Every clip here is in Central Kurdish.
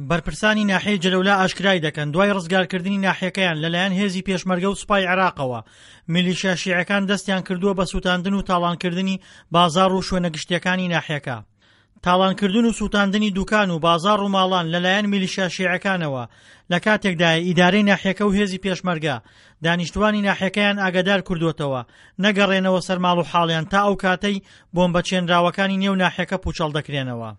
بەرپرسانی ناحیەی جەلەولا ئاشکرای دەکەن، دوای ڕزگارکردنی ناحیەکەیان لەلایەن هێزی پێشمەرگە و سوپای عێراقەوە، میلیشیا شیعەکان دەستیان کردووە بە سووتاندن و تاڵانکردنی بازاڕ و شوێنە گشتییەکانی ناحیەکە. تاڵانکردن و سووتاندنی دوکان و بازاڕ و ماڵان لەلایەن میلیشیا شیعەکانەوە لە کاتێکدایە ئیدارەی ناحیەکە و هێزی پێشمەرگە دانیشتوانی ناحیەکەیان ئاگادار کردووەتەوە نەگەڕێنەوە سەر ماڵ و حاڵیان تا ئەو کاتەی بۆمبە چێنراوەکانی نێو ناحیەکە پووچەڵ دەکرێنەوە.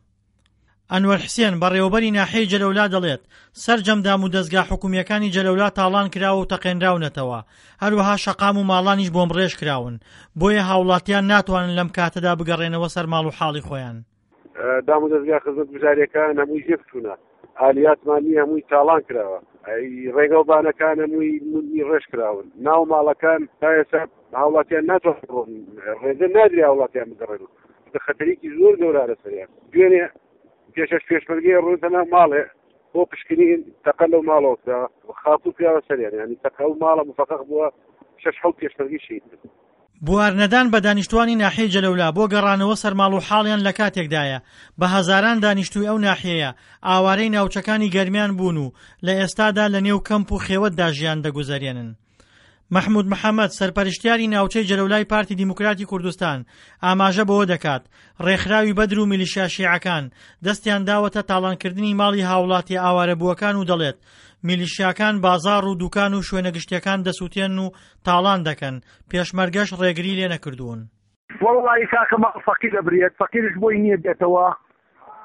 ئەنوەر حسێن، بەڕێوەبەری ناحیەی جەلەولا دەڵێت، سەرجەم دامودەزگا حکومییەکانی جەلەولا تاڵان کراوە و تەقێنراونەتەوە، هەروەها شەقام و ماڵانیش بۆمبڕێژ کراون، بۆیە هاوڵاتیان ناتوانن لەم کاتەدا بگەڕێنەوە سەر ماڵ و حاڵی خۆیان. دامودەزگا خزمەتگوزارییەکان هەمووی زفت چوونە، ئالیاتمان نییە هەمووی تاڵان کراوە، ڕێگەوبانەکان هەمووی ڕێژ کراون، ناو ماڵەکان تا ئێستا هاوڵاتیان ناتوانن بڕۆن، ڕێگە نادرێ هاوڵاتیان بگەڕێنەوە، چونکە خەتەرێکی زۆر گەورە لەسەریان. دوێنێ پێشەش پێشمەرگەی ڕوونتە ناو ماڵێ بۆ پشکنین تەقە لەو ماڵەوە کرا خاپوور کراوە سەریان، یانی تەقە ئەو ماڵە مفەقەق بووە شەش حەوت پێشمەرگەی شەهید بوون. بوارنەدان بە دانیشتوانی ناحیەی جەلەولا بۆ گەڕانەوە سەر ماڵ و حاڵیان لە کاتێکدایە بە هەزاران دانیشتووی ئەو ناحیەیە ئاوارەی ناوچەکانی گەرمیان بوون و لە ئێستادا لە نێو کەمپ و خێوەتدا ژیان دەگوزەرێنن. مەحمود محەمەد، سەرپەرشتیاری ناوچەی جەلەولای پارتی دیموکراتی کوردستان، ئاماژە بەوە دەکات، ڕێکخراوی بەدر و میلیشیا شیعەکان دەستیان داوەتە تاڵانکردنی ماڵی هاوڵاتیە ئاوارەبووەکان و دەڵێت، میلیشیاکان بازاڕ و دوکان و شوێنە گشتیەکان دەسوتێنن و تاڵان دەکەن، پێشمەرگەش ڕێگری لێنەکردوون. وەڵڵاهی کاکە ماڵ فەقیر ئەبرێت فەقیرش بۆی نییە بێتەوە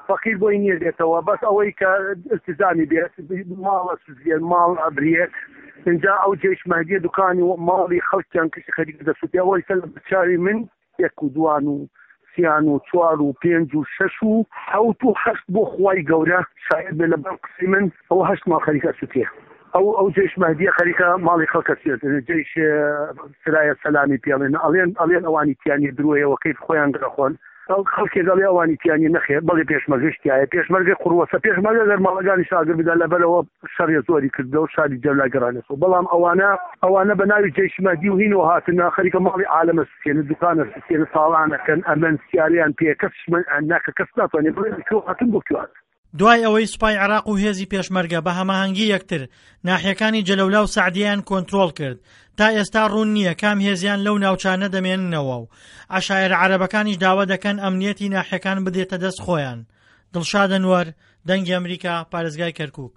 فەقیر بۆی نییە بێتەوە بەس ئەوەی کە التزامی بێت ماڵە سوزێن ماڵ ئەبرێت اینجا ئەو جێش مەهدیە دوکانی و ماڵی خەڵکیان کەسی خەریک دەسووتێ ئەوەی سەر لە چاوی من یەک و دوان و سیان و چوار و پێنج و شەش و حەوت و هەشت بۆ خوای گەورە شاید بێ لەبەر قسەی من ئەوە هەشت ماڵ خەریکە سوتێ ئەو ئەو جەیش مەهدیە خەریکە ماڵی خەڵکە سوێتێنێ جەیش سرایە سەلامی پێڵێن ئەڵێن ئەڵێن ئەوانی تیانە درۆیەوە کەیف خۆیان دەخۆن خەڵکێک ئەڵێ ئەوانی تیانە نەخێر بەڵێ پێشمەرگەش تایە پێشمەرگە قوڕوەسە پێشمەرگە گەر ماڵەکانی شاگر بدا لەبەرەوە شەڕێ زۆری کردەوە شاری جەولا گەڕانێتەوە بەڵام ئەوانە ئەوانە بە ناوی جەیش مەهدی و هینەوە هاتنە خەریکە ماڵی عالەمە سوتێنە دوکانە سوتێنە تاڵانەکەن ئەمەن سیاریان پێ کەس ناکە کەس ناتوانێت بڵێ کوێ هاتن بۆ کوێ هاتن. دوای ئەوەی سوپای عێراق و هێزی پێشمەرگە بە هەماهەنگی یەکتر ناحیەکانی جەلەولا و سەعدیەیان کۆنترۆڵ کرد، تا ئێستا ڕوون نییە کام هێزیان لەو ناوچانە دەمێننەوە و عەشایەرە عەرەبەکانیش داوا دەکەن ئەمنیەتی ناحیەکان بدرێتە دەست خۆیان. دڵشاد ئەنوەر، دەنگی ئەمریکا، پارێزگای کەرکوک.